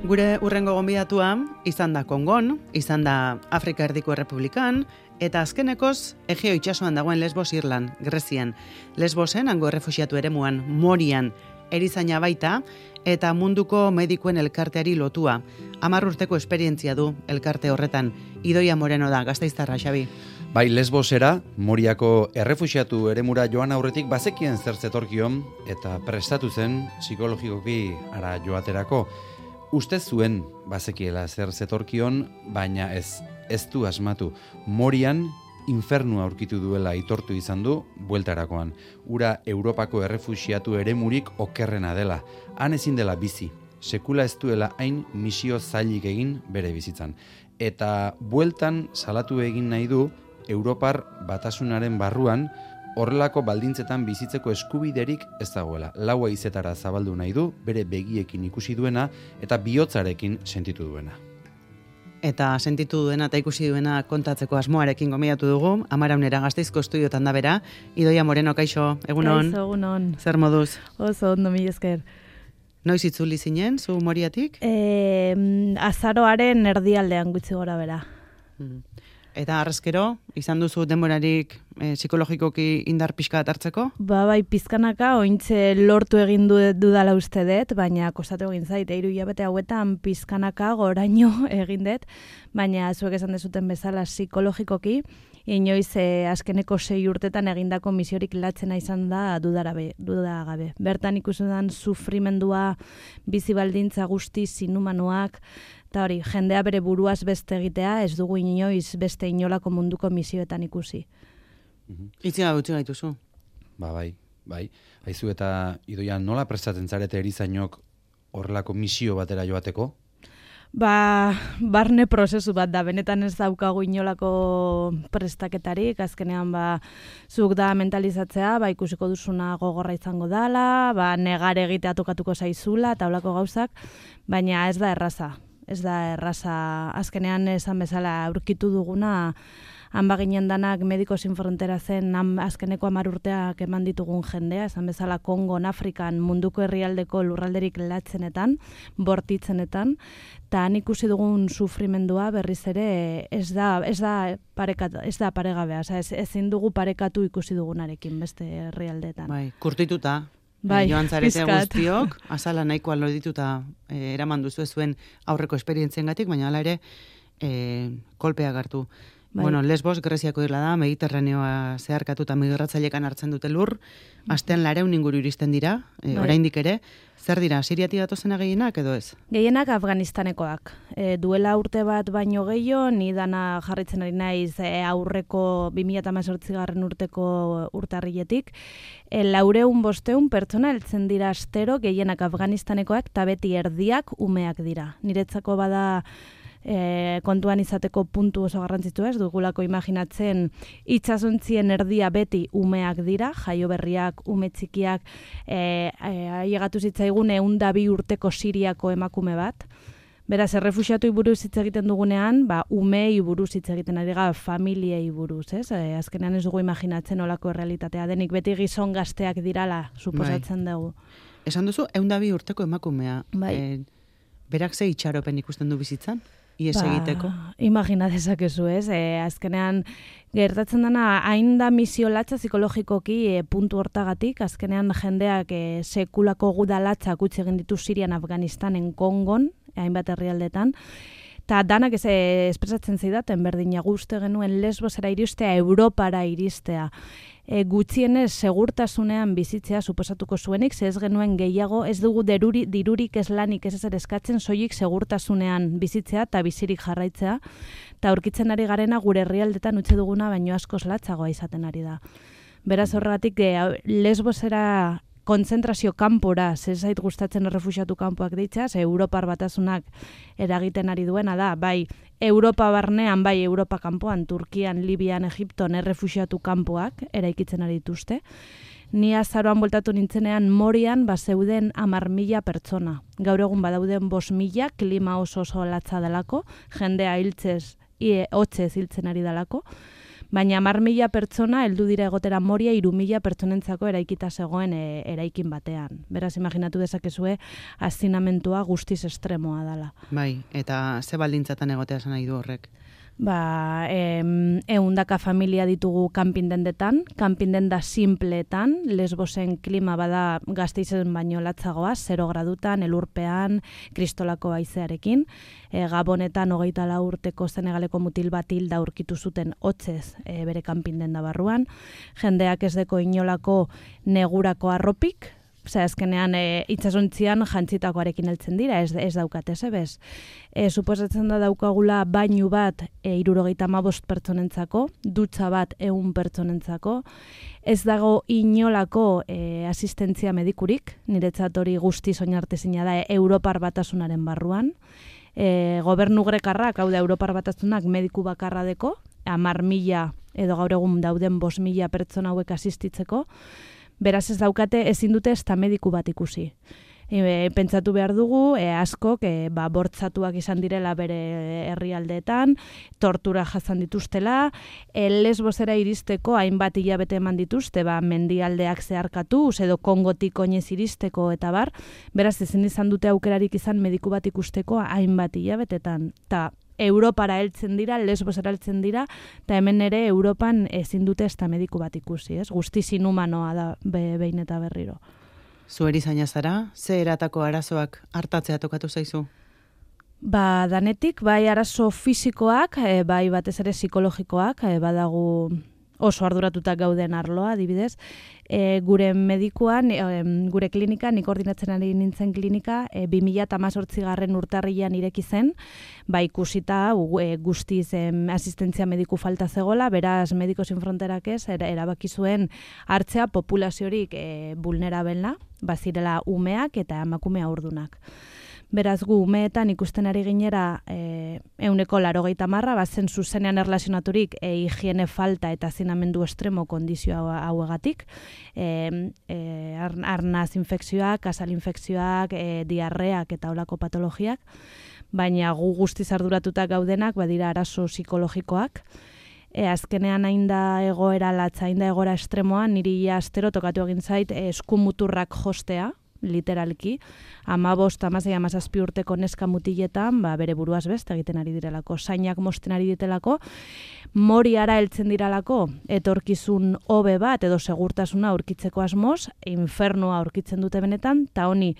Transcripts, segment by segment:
Gure urrengo gonbidatua izan da Kongon, izan da Afrika Erdiko Errepublikan, eta azkenekoz Egeo itsasoan dagoen Lesbos Irlan, Grezian. Lesbosen, hango errefuxiatu eremuan, Morian, erizaina baita, eta munduko medikuen elkarteari lotua. 10 urteko esperientzia du elkarte horretan. Idoia Moreno da, Gasteiztarra, Xabi. Bai, Lesbosera, Moriako errefuxiatu eremura joan aurretik bazekien zer zetorkion, eta prestatu zen psikologikoki ara joaterako. Uste zuen bazekiela zer zetorkion, baina ez du asmatu. Morian infernua aurkitu duela aitortu izan du bueltarakoan. Ura Europako errefuxiatu eremurik okerrena dela. Han ezin dela bizi. Sekula ez duela hain misio zailik egin bere bizitzan. Eta bueltan salatu egin nahi du Europar batasunaren barruan horrelako baldintzetan bizitzeko eskubiderik ez dagoela. Laua izetara zabaldu nahi du, bere begiekin ikusi duena eta bihotzarekin sentitu duena. Eta sentitu duena eta ikusi duena kontatzeko asmoarekin gomidatu dugu, Amaraunera Gasteizko estudiotan da bera. Idoia Moreno, kaixo, egunon? Kaixo, egunon. Zer moduz? Oso ondo, mila esker. Noiz itzuli zinen, zu Moriatik? Azaroaren erdialdean gutxi gora bera. Eta arrezkero, izan duzu denborarik psikologikoki indar pixka hartzeko? Bai, pizkanaka, ointze lortu egin dudala uste dut, baina kostatu egin zait, 3 hilabete hauetan pizkanaka goraino egin dut, baina zuek esan dezuten bezala psikologikoki, inoiz azkeneko 6 urtetan egindako misiorik latzena izan da dudagabe. Bertan ikusten sufrimendua, bizi baldintza guzti inhumanoak, eta hori, jendea bere buruaz beste egitea, ez dugu inoiz beste inolako munduko misioetan ikusi. Itziga gutxi gaituzu. Bai. Haizu eta Idoia, nola prestatzen zarete erizainok horrelako misio batera joateko? Barne prozesu bat da, benetan ez daukagu inolako prestaketarik, azkenean zuk da mentalizatzea, ikusiko duzuna gogorra izango dala, negar egitea tokatuko zaizula, eta holako gauzak, baina ez da erraza. Ez da erraza, azkenean esan bezala aurkitu duguna, han baginen danak Mediko Sin Frontera zen azkeneko 10 urteak eman ditugun jendea, esan bezala Kongon, Afrikan, munduko herrialdeko lurralderik latzenetan, bortitzenetan, eta han ikusi dugun sufrimendua berriz ere ez da paregabea, ezin dugu parekatu ikusi dugunarekin beste herrialdeetan. Bai, kurtituta. Joan zarete guztiok, azala nahikoa lodituta eraman duzu zuen aurreko esperientziengatik, baina hala ere kolpeak hartu. Bai. Bueno, Lesbos, Greziako irla da, Mediterraneoa zeharkatuta migratzailekan hartzen dute lur, astean 200 inguru iristen dira, oraindik ere. Zer dira, Siriatik datozena gehienak edo ez? Gehienak Afganistanekoak. Duela urte bat baino gehiago, ni dana jarritzen ari naiz aurreko 2018 urteko urtarriletik. 400-500 pertsona heltzen dira astero, gehienak Afganistanekoak, eta beti erdiak umeak dira. Niretzako bada kontuan izateko puntu oso garrantzitsua, ez dugulako imaginatzen itsasontzien erdia beti umeak dira, jaio berriak, ume txikiak, ailegatu zitzaigun 102 urteko Siriako emakume bat. Beraz, errefuxiatuei buruz hitz egiten dugunean, umei buruz hitz egiten ari gara, familiei buruz, ez? Azkenean ez dugu imaginatzen olako errealitatea denik, beti gizon gazteak dirala, suposatzen dugu. Esan duzu, 102 urteko emakumea. Bai. Berak ze itxaropen ikusten du bizitzan? Ies egiteko? Imagina dezakezu, ez? Azkenean, gertatzen dena, hain da misio latza psikologikoki puntu hortagatik, azkenean jendeak sekulako gudalatzak utzi egin ditu Sirian, Afganistanen, Kongon, hainbat herrialdetan, eta danak espresatzen zidaten berdina guzti genuen Lesbosera iristea, Europara iristea. Gutxienez segurtasunean bizitzea suposatuko zuenik, ez genuen gehiago, ez dugu dirurik ez lanik ez ezer eskatzen, soilik segurtasunean bizitzea eta bizirik jarraitzea, eta aurkitzen ari garena gure herrialdetan utzi duguna baino askoz latzagoa izaten ari da. Beraz horregatik Lesbosera kontzentrazio kanpora, zait gustatzen errefuxiatu kanpoak deitzea, Europar batasunak eragiten ari duena da, bai Europa barnean, bai Europa kanpoan, Turkian, Libian, Egipton errefuxiatu kanpoak eraikitzen ari dituzte. Ni azaroan bueltatu nintzenean Morian zeuden 10.000 pertsona. Gaur egun badauden 5.000, klima oso latza delako, jendea hotzez hiltzen ari delako. Baina 10.000 pertsona heldu dira egotera Moria 3.000 pertsonentzako eraikita zegoen eraikin batean. Beraz, imaginatu dezakezue hazinamentua guztiz estremoa dela. Bai, eta ze baldintzatan egotea esan nahi du horrek? 100 familia ditugu kanpindendetan, kanpindenda simpleetan, Lesbosen klima bada Gasteizen baino latzagoa, 0 gradutan, elurpean, kristolako haizearekin. Gabonetan 24 urteko Senegaleko mutil bat hilda aurkitu zuten hotzez bere kanpindenda barruan. Jendeak ez deko inolako negurako arropik, azkenean itsasontzian jantzitakoarekin heltzen dira, ez daukate zebez. Suposatzen da daukagula bainu bat 75 pertsonentzako, dutxa bat 100 pertsonentzako, ez dago inolako asistentzia medikurik, niretzat hori guztiz oinartezina da Europar Batasunaren barruan. Gobernu grekarrak, hau da Europar Batasunak mediku bakarra deko, 10.000 edo gaur egun dauden 5.000 pertsona hauek asistitzeko, beraz ez daukate ezin dute ezta mediku bat ikusi. Pentsatu behar dugu, askok bortzatuak izan direla bere herrialdeetan, tortura jasan dituztela, Lesbosera iristeko hainbat hilabete eman dituzte, mendialdeak zeharkatuz edo Kongotik oinez iristeko eta bar, beraz ezin izan dute aukerarik izan mediku bat ikusteko hainbat hilabetetan. Ta Europara heltzen dira, Lesbosera heltzen dira, eta hemen ere Europan ezin dute ezta mediku bat ikusi, ez? Guztiz inhumanoa da behin eta berriro. Zu erizaina zara, ze eratako arazoak hartatzea tokatu zaizu? Danetik, bai arazo fisikoak, bai batez ere psikologikoak, badagu oso arduratuta gauden arloa, adibidez. Gure medikuan, gure klinika, nik koordinatzen ari nintzen klinika, 2018 urtarrian ireki zen, ikusita guztiz asistentzia mediku falta zegoela, beraz Medicos Sin Fronterak ez, erabaki zuen hartzea populaziorik vulnerabelna, bazirela umeak eta emakume haurdunak. Beraz, gu umeetan ikusten ari ginera 80%, bazen zuzenean erlazionaturik higiene falta eta hazinamendu estremo kondizio hauegatik, arnaz infekzioak, kasal infekzioak, diarreak eta olako patologiak, baina gu guztiz arduratuta gaudenak badira arazo psikologikoak. Azkenean hain da egoera latza, hain da egoera estremoa, niri astero tokatu egin zait eskumuturrak jostea, literalki, 15-17 urteko neska mutiletan, bere buruaz beste egiten ari direlako, zainak mosten ari ditelako, Moriara heltzen diralako, etorkizun hobe bat edo segurtasuna aurkitzeko asmoz, infernua aurkitzen dute benetan, eta honi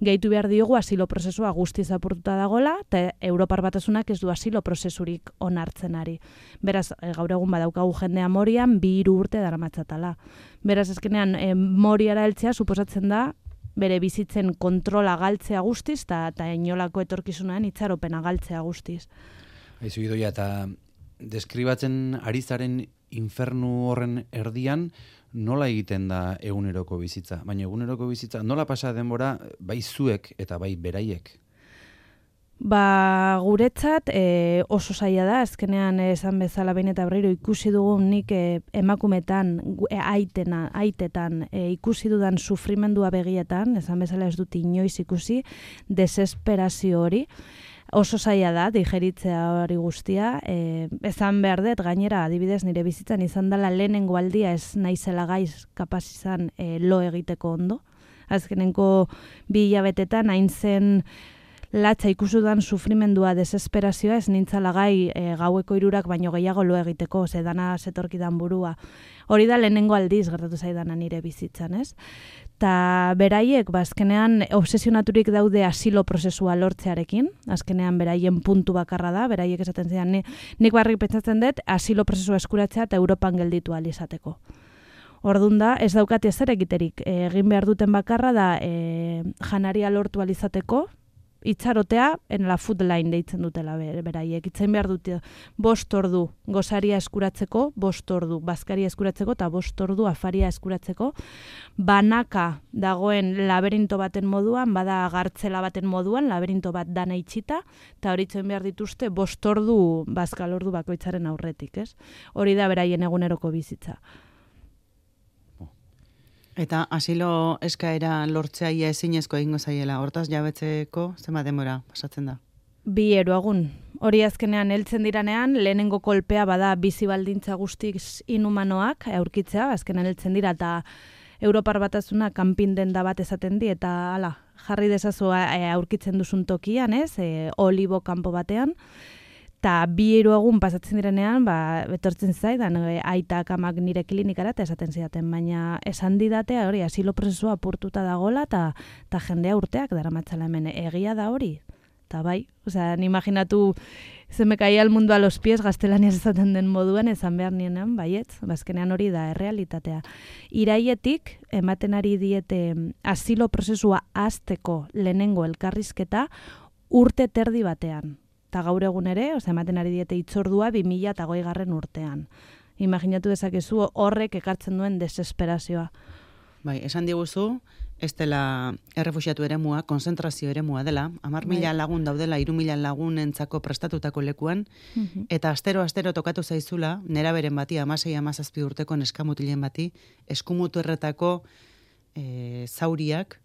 gehitu behar diogu asilo prozesua guztiz apurtuta dagola, eta Europar Batasunak ez du asilo prozesurik onartzen ari. Beraz, gaur egun badaukagu jendea Morian, 2-3 urte daramatzatala. Beraz, ezkenean, Moriara heltzea suposatzen da, bere bizitzen kontrola galtzea guztiz, eta inolako etorkizunean itxaropena galtzea guztiz. Aizu Idoia, eta deskribatzen ari zaren infernu horren erdian, nola egiten da eguneroko bizitza? Baina eguneroko bizitza, nola pasa denbora bai zuek eta bai beraiek? Guretzat oso zaila da, azkenean esan bezala behin eta berriro ikusi dugu nik emakumetan, aitetan ikusi dudan sufrimendua begietan, esan bezala ez dut inoiz ikusi, desesperazio hori, oso zaila da, digeritzea hori guztia, esan behar dut, gainera adibidez nire bizitzan izan dela lehenengo aldia ez naizela gaiz kapaz izan lo egiteko ondo. Azkenenko 2 hilabetetan hain zen latza ikusudan sufrimendua, desesperazioa, ez nintzala gai gaueko 3 baino gehiago lo egiteko, dana zetorkidan burua. Hori da lehenengo aldiz gertatu zaidana nire bizitzan, ez? Ta beraiek, azkenean obsesionaturik daude asilo prozesua lortzearekin, azkenean beraien puntu bakarra da, beraiek esaten zidan, nik barrik pentsatzen dut asilo prozesua eskuratzea eta Europan gelditu ahal izateko. Ordun da, ez daukate zer egiterik, egin behar duten bakarra da janaria lortu ahal izateko, itxarotea en la food line deitzen dutela beraiek. Itzen behar dute 5 ordu gozaria eskuratzeko, 5 ordu bazkaria eskuratzeko eta 5 ordu afaria eskuratzeko. Banaka dagoen laberinto baten moduan, bada gartzela baten moduan, laberinto bat dana itxita, eta hori itzen behar dituzte 5 ordu bazkal ordu bakoitzaren aurretik, ez? Hori da beraien eguneroko bizitza. Eta asilo eskaera lortzea ia ezinezko egingo zaiela, hortaz jabetzeko zenbat denbora pasatzen da? Bi eruagun. Hori azkenean heltzen diranean, lehenengo kolpea bada bizi baldintza guztiz inhumanoak aurkitzea, azkenean heltzen dira eta Europar Batasuna kanpin denda bat esaten di eta hala, jarri dezazu aurkitzen duzun tokian, olibo kanpo batean. Eta 2 egun pasatzen direnean, betortzen zaidan, aitak amak nire klinikara eta esaten zidaten, baina esan didatea hori, asilo prozesua apurtuta dagola eta jendea urteak daramatzala hemen, egia da hori. Eta bai, imaginatu se me caía el mundo a los pies gaztelaniaz esaten den moduan, esan behar nienan, baietz, bazkenean hori da errealitatea. Iraietik, ematen ari diete asilo prozesua hasteko lehenengo elkarrizketa urte terdi batean. Eta gaur egun ere, ematen ari diete itzordua 2020 urtean. Imaginatu dezakezu horrek ekartzen duen desesperazioa. Bai, esan diguzu, ez dela errefuxiatu eremua, konzentrazio eremua dela, 10.000 lagun daudela, 3.000 lagunentzako prestatutako lekuan, eta astero tokatu zaizula, neraberen bati, 16-17 urteko neskamutilen bati, eskumuturretako zauriak,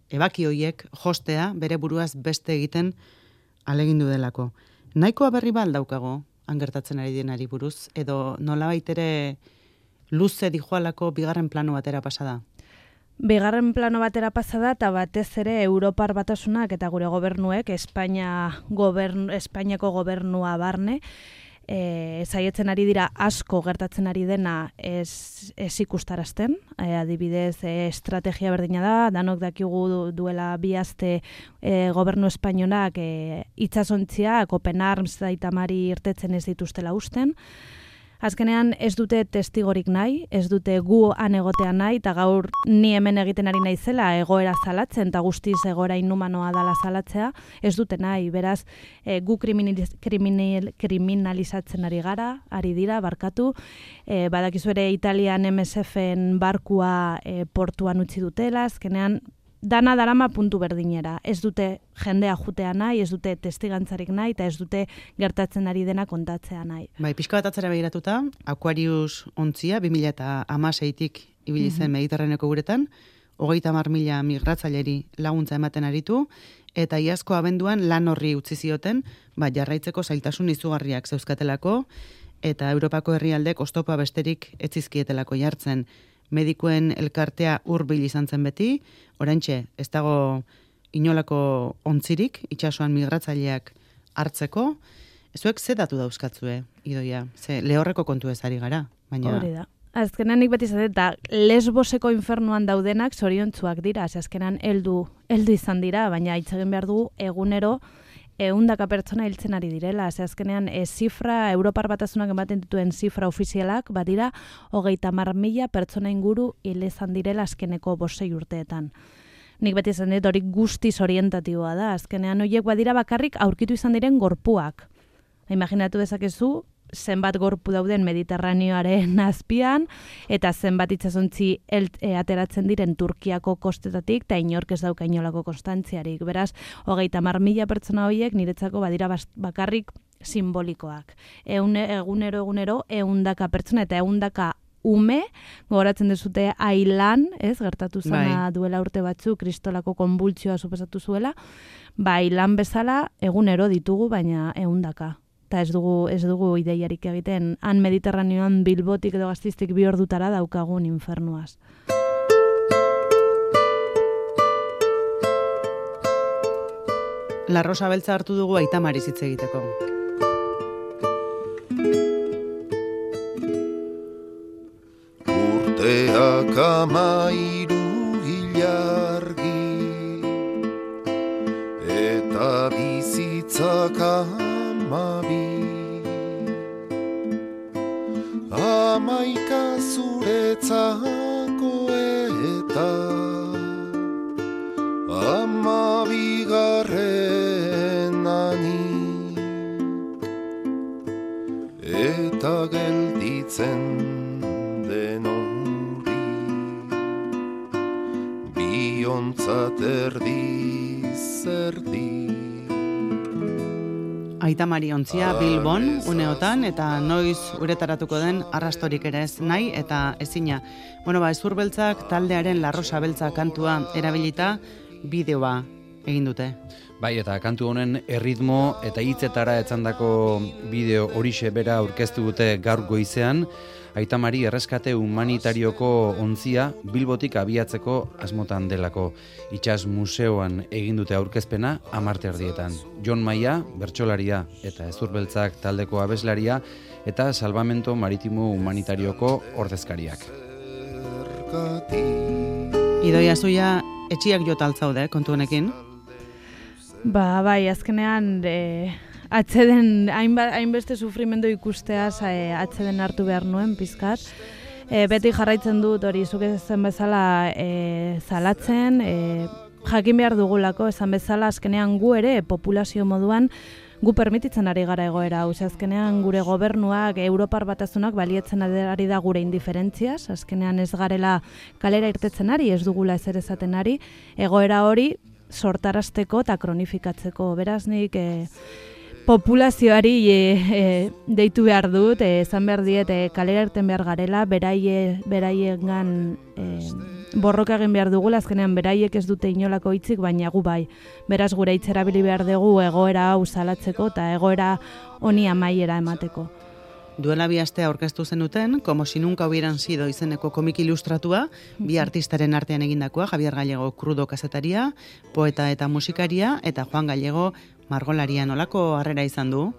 ebaki hoiek jostea, bere buruaz beste egiten alegindu delako. Nahikoa berri daukago, angertatzen ari denari buruz, edo nolabait ere luze dijoalako bigarren plano batera pasada? Bigarren plano batera pasada eta batez ere Europar Batasunak eta gure gobernuek, Espainiako gobernua barne, saietzen ari dira asko gertatzen ari dena ez ikustarazten, adibidez estrategia berdina da, danok dakigu duela 2 aste gobernu espainolak itsasontzia, Open Arms Aita Mari irtetzen ez dituztela usten. Azkenean ez dute testigorik nahi, ez dute gu han egotea nahi, eta gaur ni hemen egiten ari naizela egoera zalatzen, eta guztiz egoera inhumanoa dala zalatzea, ez dute nahi, beraz gu kriminalizatzen ari dira, barkatu, badakizu ere Italian MSF-en barkua portuan utzi dutela, azkenean dana darama puntu berdinera. Ez dute jendea jutea nahi, ez dute testigantzarik nahi, eta ez dute gertatzen ari dena kontatzea nahi. Bai, pixka bat atzera begiratuta, Aquarius ontzia, 2016-tik ibili zen Mediterraneko guretan, 30.000 migratzaileri laguntza ematen aritu, eta iazko abenduan lan horri utzi zioten, jarraitzeko zailtasun izugarriak zeuzkatelako, eta Europako herrialdek oztopa besterik etzizkietelako jartzen. Medikuen elkartea hurbil izan zen beti, oraintxe ez dago inolako ontzirik, itsasoan migratzaileak hartzeko. Zuek ze datu dauzkatzue, Idoia? Ze lehorreko kontu ez ari gara, baina... Hori da. Azkenan nik beti zaten, eta Lesboseko infernuan daudenak zoriontsuak dira, azkenan heldu izan dira, baina itzegin behar dugu egunero 100 pertsona hiltzen ari direla. Azkenean zifra, Europar Batasunak ematen dituen zifra ofizialak, badira 30.000 pertsona inguru hil izan direla azkeneko 5 urteetan. Nik beti izan dit hori guztiz orientatiboa da. Azkenean horiek badira bakarrik aurkitu izan diren gorpuak. Imaginatu dezakezu, zenbat gorpu dauden Mediterraneoaren azpian, eta zenbat itsasontzi ateratzen diren Turkiako kostetatik, eta inork ez dauka inolako konstantziarik. Beraz, 30.000 pertsona horiek niretzako badira bakarrik simbolikoak. Egunero 100 pertsona eta 100 ume, gogoratzen dezute Ailan, gertatu zena duela urte batzu, kristolako konbultzioa suposatu zuela, Ailan bezala egunero ditugu, baina 100. Eta ez dugu ideiarik egiten, han Mediterraneoan Bilbotik edo Gastiztik 2 ordutara daukagun infernuaz. La Rosa Beltza hartu dugu Aita Mari hitz egiteko. Urteak 13 ilargi eta bizitzak 12 11 zuretzako eta 12 eta gelditzen den hori biontzat erdi. Aita Mari ontzia Bilbon, uneotan, eta noiz uretaratuko den arrastorik ere ez nahi, eta ezina. Hezur beltzak taldearen La Rosa Beltza kantua erabilita bideoa egin dute. Bai, eta kantu honen erritmo eta hitzetara etzandako bideo horixe bera aurkeztu dute gaur goizean, Aita Mari erreskate humanitarioko ontzia Bilbotik abiatzeko asmotan delako. Itsas museoan egin dute aurkezpena 10:00 Jon Maia, bertsolaria eta Ezurbeltzak taldeko abeslaria eta Salvamento Maritimo Humanitarioko ordezkariak. Idoia zuia etxiak jota altzaude kontu honekin. Bai, azkenean atzeden hainbeste sufrimendu ikusteaz atzeden hartu behar nuen pizkat. Beti jarraitzen dut hori zuk ezen bezala zalatzen, jakin behar dugulako esan bezala azkenean gu ere populazio moduan gu permititzen ari gara egoera hau. Azkenean gure gobernuak, Europar Batasunak balietzen ari da gure indiferentziaz, azkenean ez garela kalera irtetzen ari, ez dugula ezer esaten ari, egoera hori sortarazteko eta kronifikatzeko. Beraz nik populazioari deitu behar dut, esan behar diet kalera irten behar garela, beraiegan borroka egin behar dugula, azkenean beraiek ez dute inolako hitzik, baina gu bai. Beraz gure hitz erabili behar dugu egoera hau salatzeko eta egoera honi amaiera emateko. Duela 2 aste aurkeztu zenuten, Como si nunca hubieran sido izeneko komik ilustratua, bi artistaren artean egindakoa, Javier Gallego krudo kazetaria, poeta eta musikaria, eta Juan Gallego margolaria. Nolako harrera izan du?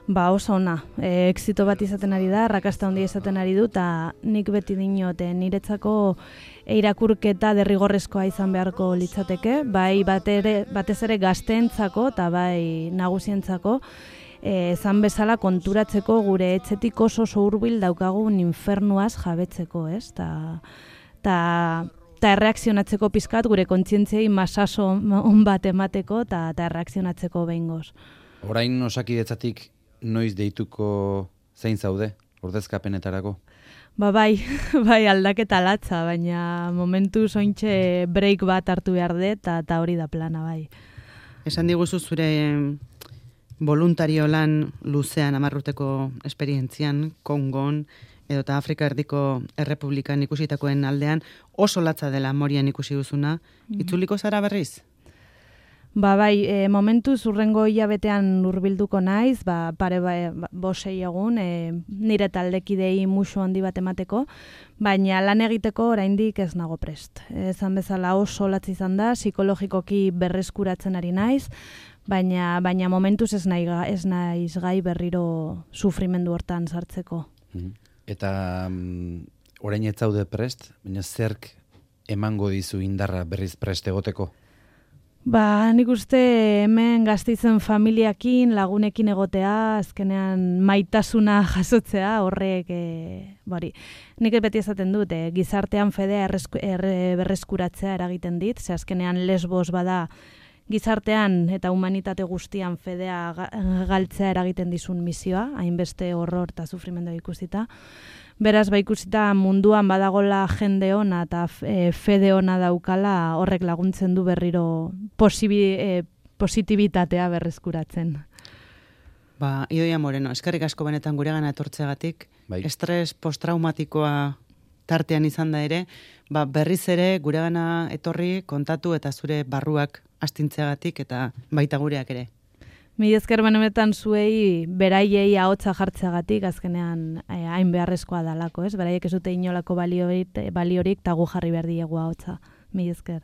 Oso ona. Exito bat izaten ari da, arrakasta handia izaten ari du, eta nik beti dinot, niretzako irakurketa derrigorrezkoa izan beharko litzateke, bai batez ere gazteentzako eta bai nagusientzako, zan bezala konturatzeko gure etxetik oso hurbil daukagun infernuaz jabetzeko, ez? Ta erreakzionatzeko pizkat gure kontzientziei masaso on bat emateko eta erreakzionatzeko behingoz. Orain Osakidetzatik noiz deituko zein zaude ordezkapenetarako? Bai aldaketa latza, baina momentu sointxe break bat hartu behar dut eta hori da plana, bai. Esan diguzu zure voluntario lan luzean 10 urteko esperientzian, Kongon, edota Afrika Erdiko Errepublikan ikusitakoen aldean, oso latza dela Morian ikusi duzuna. Itzuliko zara berriz? Bai, momentu zurrengo hilabetean hurbilduko naiz, pare 5 egun, nire taldekidei musu handi bat emateko, baina lan egiteko oraindik ez nago prest. Esan bezala oso latza izan da, psikologikoki berreskuratzen ari naiz, baina momentuz ez naiz gai berriro sufrimendu hortan sartzeko. Eta orain ez zaude prest, baina zerk emango dizu indarra berriz prest egoteko? Nik uste hemen Gasteizen familiakin, lagunekin egotea, azkenean maitasuna jasotzea, horrek, nik beti esaten dut, gizartean fedea berreskuratzea eragiten dit, ze azkenean Lesbos bada gizartean eta humanitate guztian fedea galtzea eragiten dizun misioa, hainbeste horror eta sufrimendua ikusita. Beraz, ikusita munduan badagola jende ona eta fede ona daukala, horrek laguntzen du berriro positibitatea berreskuratzen. Idoia Moreno, eskerrik asko benetan guregana etortzeagatik, estres posttraumatikoa tartean izan da ere, berriz ere guregana etorri kontatu eta zure barruak astintzeagatik eta baita gureak ere. Mila esker benetan zuei beraiei ahotsa jartzeagatik azkenean hain beharrezkoa dalako, ez? Beraiek ez dute inolako baliorik eta gu jarri behar diegu ahotsa. Mila esker.